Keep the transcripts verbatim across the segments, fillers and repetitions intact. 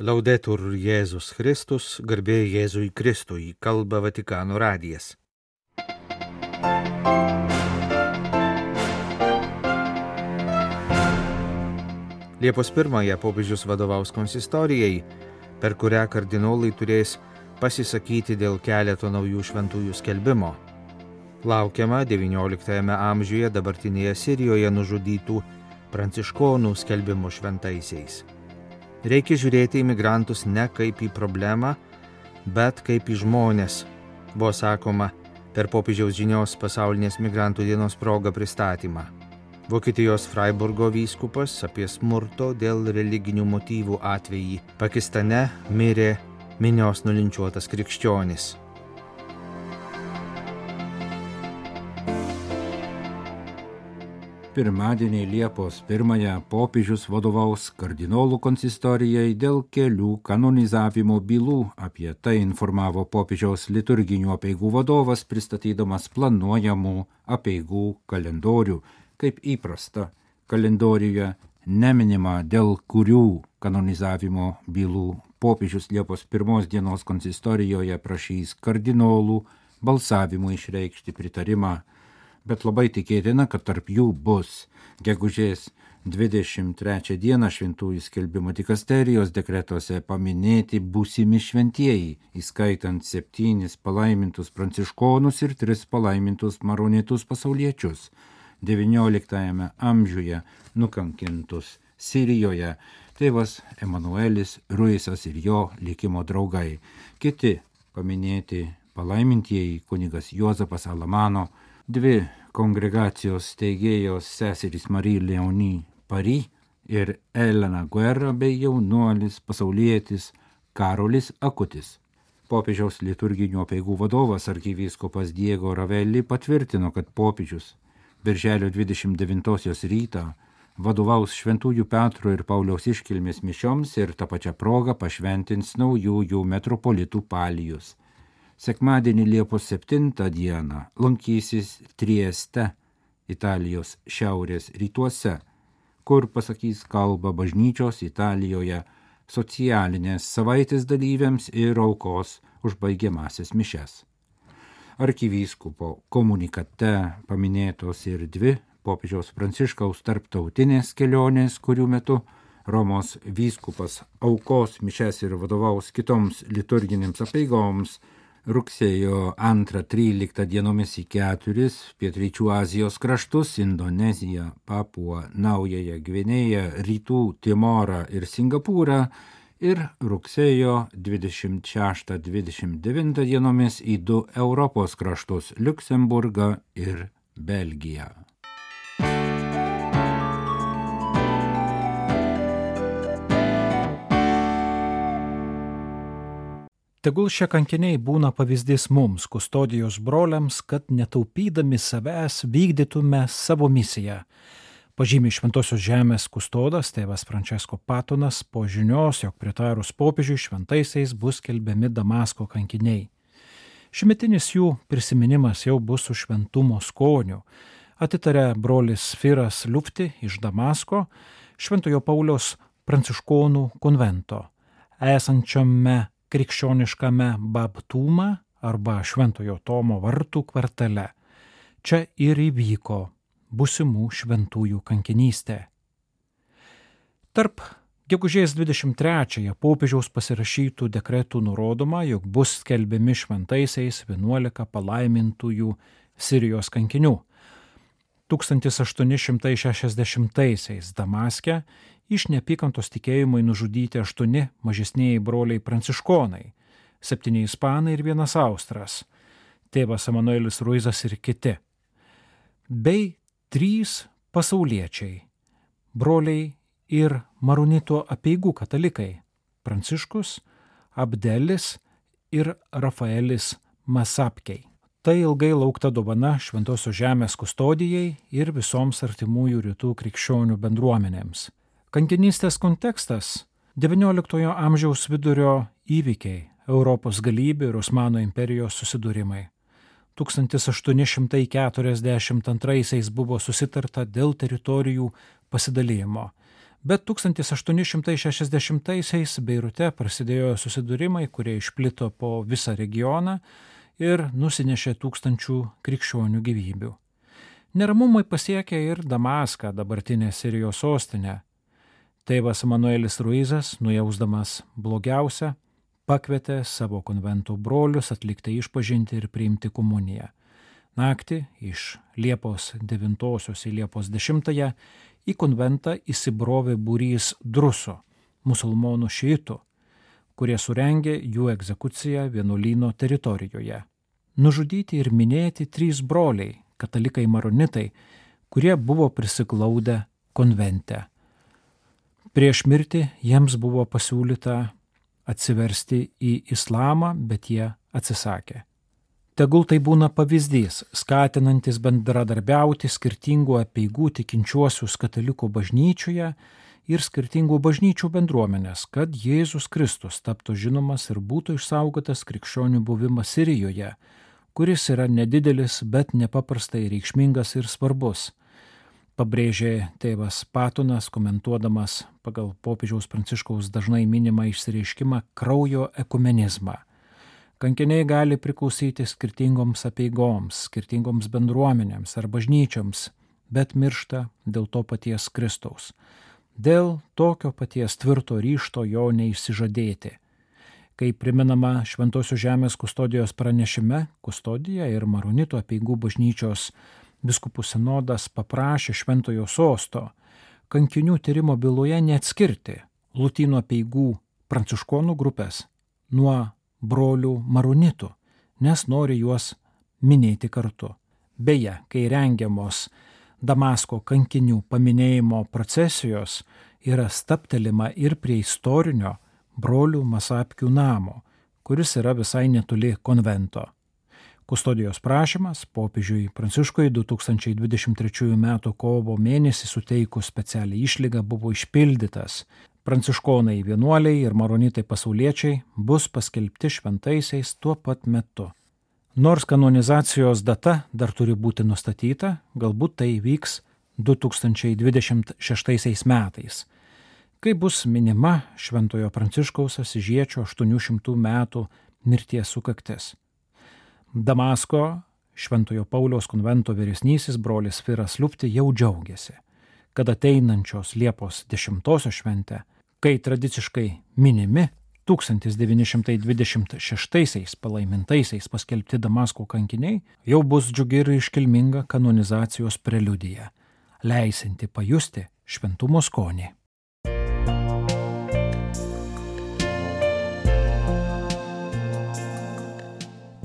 Laudetur Jėzus Kristus, garbė Jėzui Kristui, kalba Vatikano radijas. Liepos pirmąją popiežius vadovaus konsistorijai, per kurią kardinolai turės pasisakyti dėl keleto naujų šventųjų skelbimo. Laukiama devynioliktajame amžiuje dabartinėje Sirijoje nužudytų pranciškonų skelbimo šventaisiais. Reikia žiūrėti į migrantus ne kaip į problemą, bet kaip į žmonės, buvo sakoma per popiežiaus žinios pasaulinės migrantų dienos progą pristatymą. Vokietijos Freiburgo vyskupas apie smurto dėl religinių motyvų atvejį Pakistane mirė minios nulinčiuotas krikščionis. Pirmadienį Liepos pirmąją popiežius vadovaus kardinolų konsistorijai dėl kelių kanonizavimo bylų. Apie tai informavo popiežiaus liturginių apeigų vadovas, pristatydamas planuojamų apeigų kalendorių. Kaip įprasta, kalendoriuje neminima, dėl kurių kanonizavimo bylų popiežius Liepos pirmos dienos konsistorijoje prašys kardinolų balsavimu išreikšti pritarimą. Bet labai tikėtina, kad tarp jų bus gegužės dvidešimt trečią dieną šventųjų skelbimo dikasterijos dekretuose paminėti būsimi šventieji, įskaitant septynis palaimintus pranciškonus ir tris palaimintus maronitus pasauliečius, devynioliktajame amžiuje nukankintus Sirijoje, tėvas Emanuelis Ruisas ir jo likimo draugai. Kiti paminėti palaimintieji kunigas Juozapas Alamano, dvi kongregacijos steigėjos seserys Marie Leonie Paris ir Elena Guerra bei jaunuolis pasaulietis Karolis Akutis. Popiežiaus liturginių apeigų vadovas arkivyskupas Diego Ravelli patvirtino, kad popiežius birželio dvidešimt devintosios rytą vadovaus Šventųjų Petro ir Pauliaus iškilmės mišioms ir tą pačią progą pašventins naujųjų metropolitų palijus. Sekmadienį Liepos septintą dieną lankysis Trieste, Italijos šiaurės rytuose, kur pasakys kalbą bažnyčios Italijoje socialinės savaitės dalyviams ir aukos užbaigiamasias mišias. Arkivyskupo komunikate paminėtos ir dvi popiežiaus Pranciškaus tarptautinės kelionės, kurių metu Romos vyskupas aukos mišias ir vadovaus kitoms liturginėms apeigoms rugsėjo antrą tryliktą dienomis į keturis pietryčių Azijos kraštus – Indoneziją, Papuą, Naująją Gvinėją, Rytų Timorą ir Singapūrą ir rugsėjo dvidešimt šeštą dvidešimt devintą dienomis į du Europos kraštus – Liuksemburgą ir Belgiją. Tegul šie kankiniai būna pavyzdys mums, kustodijos broliams, kad netaupydami savęs vykdytume savo misiją. Pažymi Šventosios žemės kustodas tėvas Francesco Patonas po žinios, jog pritarus popiežiui šventaisiais bus skelbiami Damasko kankiniai. Šimetinis jų prisiminimas jau bus su šventumo skoniu. Atitarė brolis Firas Lufti iš Damasko, Šventojo Pauliaus pranciškonų konvento, esančiame krikščioniškame Babtūma arba Šventojo Tomo vartų kvartale. Čia ir įvyko būsimų šventųjų kankinystė. Tarp gegužės dvidešimt trečiąją popiežiaus pasirašytų dekretų nurodoma, jog bus skelbiami šventaisiais vienuolika palaimintųjų Sirijos kankinių. tūkstantis aštuoni šimtai šešiasdešimtaisiais Damaske iš neapykantos tikėjimui nužudyti aštuoni mažesnieji broliai pranciškonai, septyni ispanai ir vienas austras, tėvas Emanuelis Ruisas ir kiti, bei trys pasauliečiai, broliai ir maronitų apeigų katalikai, Pranciškus, Abdelis ir Rafaelis Masapkei. Tai ilgai laukta dovana Šventosios žemės kustodijai ir visoms artimųjų rytų krikščionių bendruomenėms. Kankinystės kontekstas – devynioliktojo amžiaus vidurio įvykiai, Europos galybių ir Osmanų imperijos susidūrimai. tūkstantis aštuoni šimtai keturiasdešimt antraisiais buvo susitarta dėl teritorijų pasidalijimo, Bet tūkstantis aštuoni šimtai šešiasdešimtaisiais Beirute prasidėjo susidūrimai, kurie išplito po visą regioną ir nusinešė tūkstančių krikščionių gyvybių. Neramumai pasiekė ir Damaską, dabartinę Sirijos sostinę. Tėvas Manuelis Ruizas, nujausdamas blogiausią, pakvietė savo konvento brolius atlikti išpažinti ir priimti komuniją. Naktį iš Liepos devintosios į Liepos dešimtąją į konventą įsibrovė būrys druso, musulmonų šiitų, kurie surengė jų egzekuciją vienuolyno teritorijoje. Nužudyti ir minėti trys broliai, katalikai maronitai, kurie buvo prisiglaudę konvente. Prieš mirtį jiems buvo pasiūlyta atsiversti į islamą, bet jie atsisakė. Tegul tai būna pavyzdys, skatinantis bendradarbiauti skirtingų apeigų tikinčiuosius katalikų bažnyčioje ir skirtingų bažnyčių bendruomenės, kad Jėzus Kristus taptų žinomas ir būtų išsaugotas krikščionių buvimas Sirijoje, kuris yra nedidelis, bet nepaprastai reikšmingas ir svarbus, pabrėžė tėvas Patonas, komentuodamas pagal popiežiaus Pranciškaus dažnai minimą išsireiškimą kraujo ekumenizmą. Kankiniai gali priklausyti skirtingoms apeigoms, skirtingoms bendruomenėms ar bažnyčioms, bet miršta dėl to paties Kristaus. Dėl tokio paties tvirto ryžto jo neišsižadėti. Kaip priminama Šventosios žemės kustodijos pranešime, Kustodija ir Maronitų apeigų bažnyčios vyskupų sinodas paprašė Šventojo sosto kankinių tyrimo byloje neatskirti Lotynų apeigų pranciškonų grupės nuo brolių maronitų, nes nori juos minėti kartu. Beje, kai rengiamos Damasko kankinių paminėjimo procesijos, yra stabtelima ir prie istorinio brolių Masapkių namo, kuris yra visai netoli konvento. Kustodijos prašymas popiežiui Pranciškui du tūkstančiai dvidešimt trečiųjų metų kovo mėnesį suteikus specialią išlygą buvo išpildytas. Pranciškonai vienuoliai ir maronitai pasauliečiai bus paskelbti šventaisiais tuo pat metu. Nors kanonizacijos data dar turi būti nustatyta, galbūt tai vyks du tūkstančiai dvidešimt šeštaisiais metais, kai bus minima Šventojo Pranciškaus Asyžiečio aštuonių šimtų metų mirties sukaktis. Damasko Šventojo Pauliaus konvento vyresnysis brolis Firas Lupti jau džiaugiasi, kad ateinančios Liepos dešimtosios šventę, kai tradiciškai minimi tūkstantis devyni šimtai dvidešimt šeštaisiais palaimintaisiais paskelbti Damasko kankiniai, jau bus džiugi ir iškilminga kanonizacijos preliudija, leisinti pajusti šventumo skonį.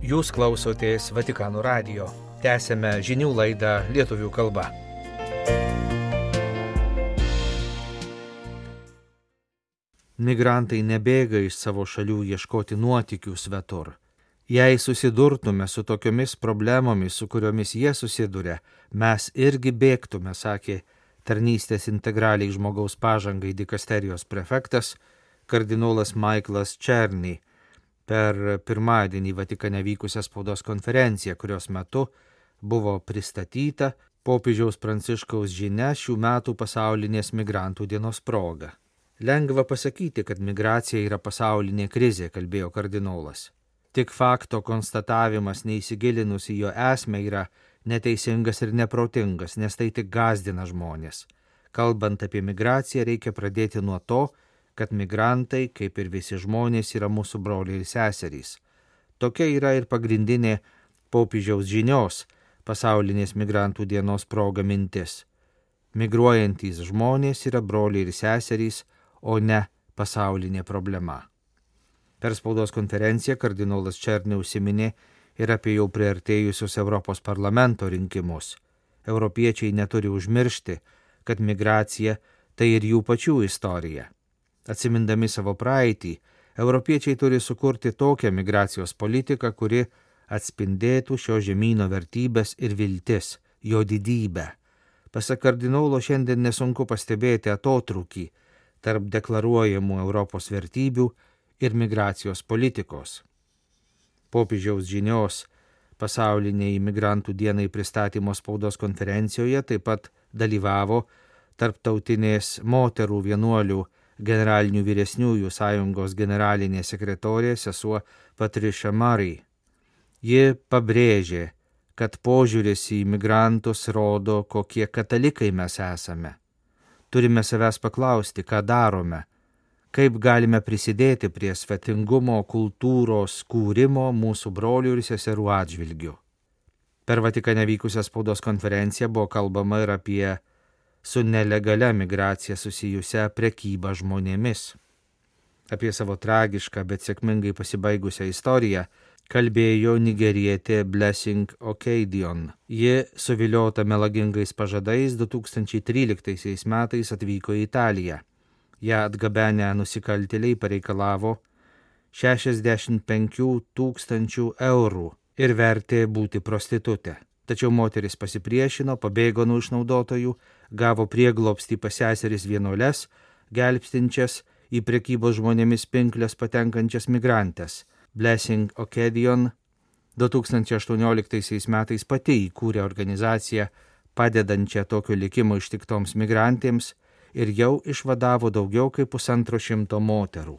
Jūs klausotės Vatikano radijo. Tęsėme žinių laidą lietuvių kalba. Migrantai nebėga iš savo šalių ieškoti nuotykių svetur. Jei susidurtume su tokiomis problemomis, su kuriomis jie susiduria, mes irgi bėgtume, sakė tarnystės integraliai žmogaus pažangai dikasterijos prefektas kardinolas Michaelas Černy per pirmadienį Vatikane vykusią spaudos konferenciją, kurios metu buvo pristatyta popiežiaus Pranciškaus žinia šių metų pasaulinės migrantų dienos proga. Lengva pasakyti, kad migracija yra pasaulinė krizė, kalbėjo kardinolas. Tik fakto konstatavimas neįsigilinus į jo esmę yra neteisingas ir neprotingas, nes tai tik gąsdina žmonės. Kalbant apie migraciją, reikia pradėti nuo to, kad migrantai, kaip ir visi žmonės, yra mūsų broliai ir seserys. Tokia yra ir pagrindinė popiežiaus žinios pasaulinės migrantų dienos proga mintis. Migruojantys žmonės yra broliai ir seserys, o ne pasaulinė problema. Per spaudos konferenciją kardinolas Černy užsiminė ir apie jau priartėjusius Europos parlamento rinkimus. Europiečiai neturi užmiršti, kad migracija tai ir jų pačių istorija. Atsimindami savo praeitį, europiečiai turi sukurti tokią migracijos politiką, kuri atspindėtų šio žemyno vertybės ir viltis, jo didybę. Pasak kardinolo, šiandien nesunku pastebėti atotrūkį tarp deklaruojamų Europos vertybių ir migracijos politikos. Popiežiaus žinios pasauliniai imigrantų dienai pristatymo spaudos konferencijoje taip pat dalyvavo Tarptautinės moterų vienuolių generalinių vyresniųjų sąjungos generalinė sekretorė sesuo Patricia Murray. Ji pabrėžė, kad požiūris į migrantus rodo, kokie katalikai mes esame. Turime savęs paklausti, ką darome, kaip galime prisidėti prie svetingumo kultūros kūrimo mūsų brolių ir seserų atžvilgių. Per Vatikane vykusią spaudos konferenciją buvo kalbama ir apie su nelegalia migracija susijusią prekybą žmonėmis. Apie savo tragišką, bet sėkmingai pasibaigusią istoriją kalbėjo nigerietė Blessing Okedion. Ji, suviliota melagingais pažadais, du tūkstančiai tryliktaisiais metais atvyko į Italiją. Ja atgabenę nusikaltėliai pareikalavo šešiasdešimt penkių tūkstančių eurų ir vertė būti prostitutė. Tačiau moteris pasipriešino, pabėgo nuo išnaudotojų, gavo prieglobstį pas seseris vienuoles, gelbstinčias į prekybos žmonėmis pinkles patenkančias migrantės. Blessing Okedion du tūkstančiai aštuonioliktaisiais metais pati įkūrė organizaciją padedančią tokio likimo ištiktoms migrantėms ir jau išvadavo daugiau kaip pusantro šimto moterų.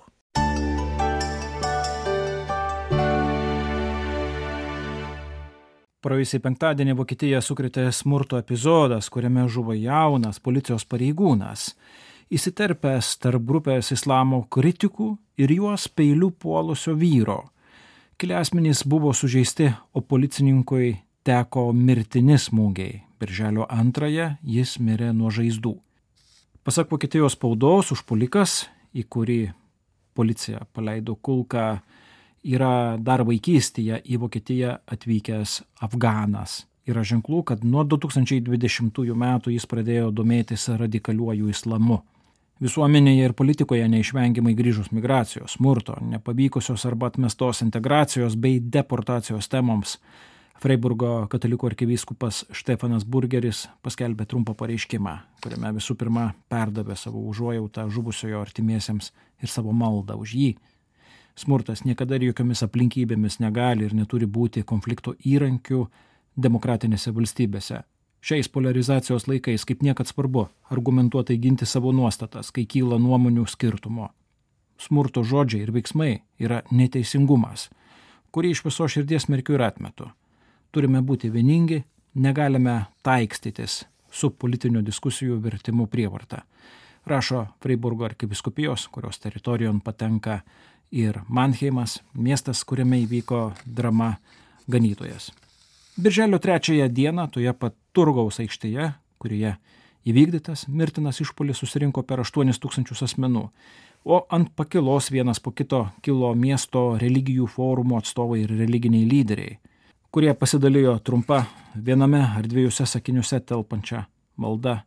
Praėjusį penktadienį Vokietiją sukrėtė smurto epizodas, kuriame žuvo jaunas policijos pareigūnas, įsiterpęs tarp grupės islamo kritikų ir juos peiliu puolusio vyro. Keli asmenys buvo sužeisti, o policininkui teko mirtini smūgiai. Birželio antrąją jis mirė nuo žaizdų. Pasak Vokietijos spaudos, užpuolikas, į kurį policija paleido kulką, yra dar vaikystėje į Vokietiją atvykęs afganas. Yra ženklų, kad nuo du tūkstančiai dvidešimtųjų metų jis pradėjo domėtis radikaliuoju islamu. Visuomenėje ir politikoje neišvengiamai grįžus migracijos, smurto, nepavykusios arba atmestos integracijos bei deportacijos temoms, Freiburgo katalikų arkivyskupas Štefanas Burgeris paskelbė trumpą pareiškimą, kuriame visų pirma perdavė savo užuojautą žuvusiojo artimiesiems ir savo maldą už jį. Smurtas niekada ir jokiomis aplinkybėmis negali ir neturi būti konflikto įrankių demokratinėse valstybėse. Šiais polarizacijos laikais kaip niekad svarbu argumentuotai ginti savo nuostatas, kai kyla nuomonių skirtumo. Smurto žodžiai ir veiksmai yra neteisingumas, kurį iš viso širdies smerkiu ir atmetu. Turime būti vieningi, negalime taikstytis su politinių diskusijų vertimu prievarta. Rašo Freiburgo arkivyskupijos, kurios teritorijon patenka ir Mannheimas, miestas, kuriame įvyko drama Ganytojas. Birželio trečiąją dieną toje pat turgaus aikštėje, kurioje įvykdytas mirtinas išpuolis, susirinko per aštuonis tūkstančius asmenų, o ant pakilos vienas po kito kilo miesto religijų forumo atstovai ir religiniai lyderiai, kurie pasidalijo trumpa viename ar dviejose sakiniuose telpančią maldą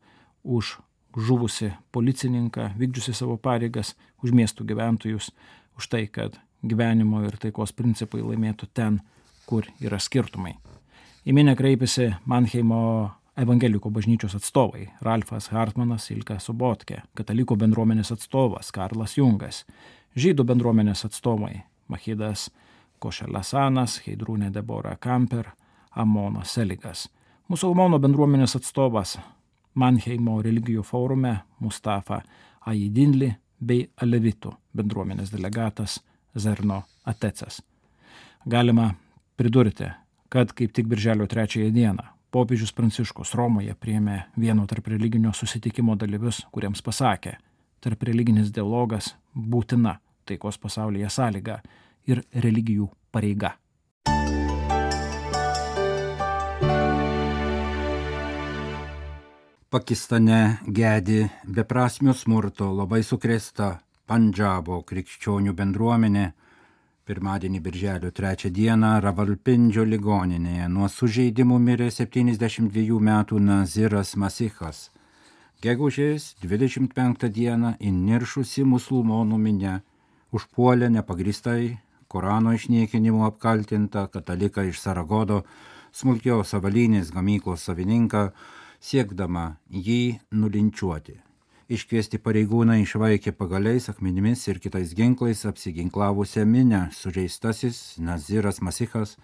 už žuvusi policininką, vykdžiusi savo pareigas, už miestų gyventojus, už tai, kad gyvenimo ir taikos principai laimėtų ten, kur yra skirtumai. Į minią kreipėsi Mannheimo evangelikų bažnyčios atstovai Ralfas Hartmanas, Ilka Sobotkė, katalikų bendruomenės atstovas Karlas Jungas, žydų bendruomenės atstovai Mahidas Košelasanas, Heidrūnė Debora Kamper, Amonas Seligas, musulmonų bendruomenės atstovas Mannheimo religijų forume Mustafa Aidinli bei alevitų bendruomenės delegatas Zerno Atecas. Galima pridurti, kad kaip tik birželio trečiąją dieną popiežius Pranciškus Romoje priėmė vieno tarp religinio susitikimo dalyvius, kuriems pasakė, tarp religinis dialogas būtina taikos pasaulyje sąlyga ir religijų pareiga. Pakistane gedi beprasmio smurto labai sukrėsta Pandžabo krikščionių bendruomenė. Pirmadienį birželio trečią dieną Ravalpindžio ligoninėje nuo sužeidimų mirė septyniasdešimt dviejų metų Naziras Masichas. Gegužės dvidešimt penktą dieną įniršusi musulmonų minia užpuolė nepagrįstai Korano išniekinimu apkaltintą kataliką iš Saragodo, smulkios avalynės gamyklos savininką, siekdama jį nulinčiuoti. Iškviesti pareigūnai išvaikė pagaliais, akmenimis ir kitais ginklais apsiginklavusią minią. Sužeistasis Naziras Masichas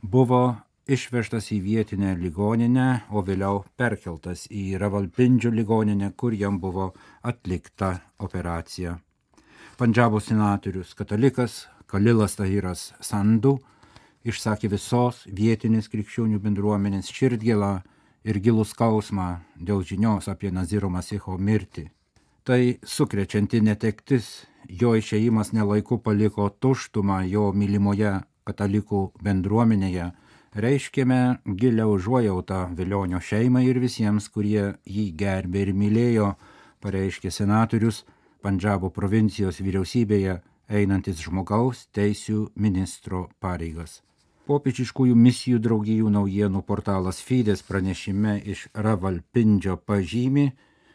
buvo išvežtas į vietinę ligoninę, o vėliau perkeltas į Ravalpindžio ligoninę, kur jam buvo atlikta operacija. Pandžabo senatorius katalikas Kalilas Tahiras Sandu išsakė visos vietinės krikščionių bendruomenės širdgėlą ir gilų skausmą dėl žinios apie Naziro Masicho mirtį. Tai sukrečianti netektis, jo išėjimas nelaiku paliko tuštumą jo mylimoje katalikų bendruomenėje, reiškėme gilią užuojautą Velionio šeimai ir visiems, kurie jį gerbė ir mylėjo, pareiškė senatorius Pandžabo provincijos vyriausybėje einantis žmogaus teisių ministro pareigas. Popiežiškųjų misijų draugijų naujienų portalas Fides pranešime iš Ravalpindžio pažymi,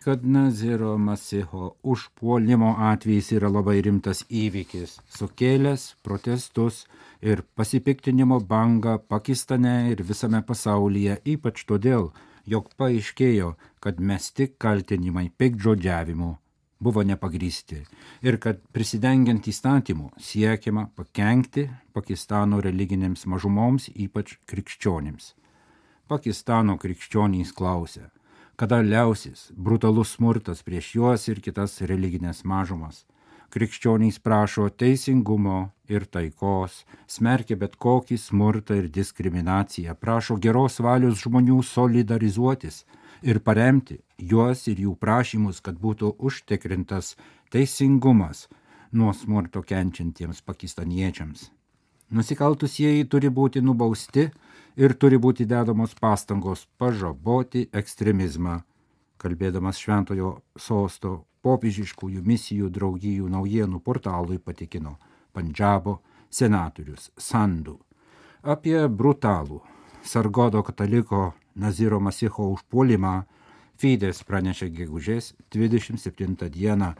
kad Naziro Masicho užpuolimo atvejis yra labai rimtas įvykis, sukėlęs protestus ir pasipiktinimo bangą Pakistane ir visame pasaulyje, ypač todėl, jog paaiškėjo, kad mesti kaltinimai piktžodžiavimu buvo nepagrįsti ir kad prisidengiant įstatymų siekiama pakenkti Pakistano religinėms mažumoms, ypač krikščionims. Pakistano krikščionys klausia, kada liausis brutalus smurtas prieš juos ir kitas religinės mažumas. Krikščionys prašo teisingumo ir taikos, smerkia bet kokį smurtą ir diskriminaciją, prašo geros valios žmonių solidarizuotis ir paremti juos ir jų prašymus, kad būtų užtikrintas teisingumas nuo smurto kenčiantiems pakistaniečiams. Nusikaltusieji turi būti nubausti ir turi būti dedamos pastangos pažaboti ekstremizmą, kalbėdamas Šventojo sosto popiežiškųjų misijų draugijų naujienų portalui patikino Pandžabo senatorius Sandu. Apie brutalų Sargodo kataliko Naziro Masicho užpuolimą Fides pranešė gegužės dvidešimt septintą dieną.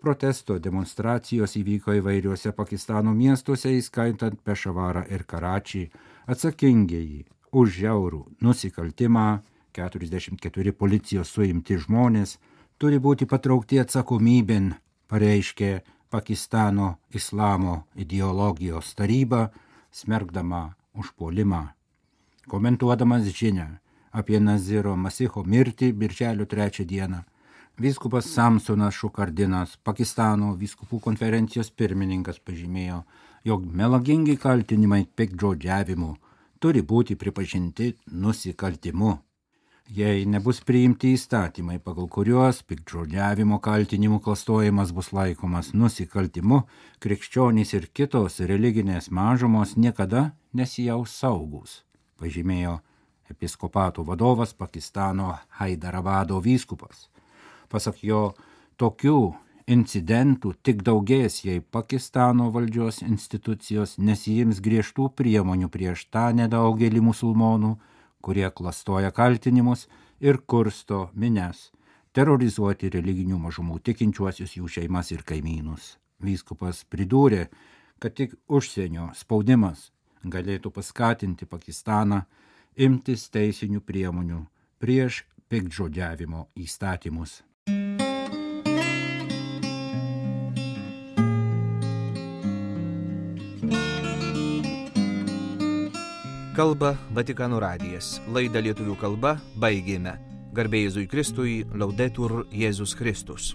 Protesto demonstracijos įvyko įvairiuose Pakistano miestuose, įskaitant Pešavarą ir Karačį. Atsakingieji už žiaurų nusikaltimą, keturiasdešimt keturi policijos suimti žmonės, turi būti patraukti atsakomybėn, pareiškė Pakistano islamo ideologijos taryba, smerkdama užpuolimą. Komentuodamas žinią apie Naziro Masicho mirtį birželio trečią dieną, vyskupas Samsonas Šukardinas, Pakistano vyskupų konferencijos pirmininkas, pažymėjo, jog melagingi kaltinimai piktžodžiavimu turi būti pripažinti nusikaltimu. Jei nebus priimti įstatymai, pagal kuriuos piktžodžiavimo kaltinimų klastojimas bus laikomas nusikaltimu, krikščionys ir kitos religinės mažumos niekada nesijaus saugūs, pažymėjo episkopato vadovas Pakistano Haidarabado vyskupas. Pasak jo, tokių incidentų tik daugės, jei Pakistano valdžios institucijos nesiims griežtų priemonių prieš tą nedaugelį musulmonų, kurie klastoja kaltinimus ir kursto minias, terorizuoti religinių mažumų tikinčiuosius, jų šeimas ir kaimynus. Vyskupas pridūrė, kad tik užsienio spaudimas galėtų paskatinti Pakistaną imtis teisinių priemonių prieš piktžodžiavimo įstatymus. Kalba Vatikano radijas. Laidą lietuvių kalba baigėme. Garbė Jėzui Kristui, Laudetur Jėzus Kristus.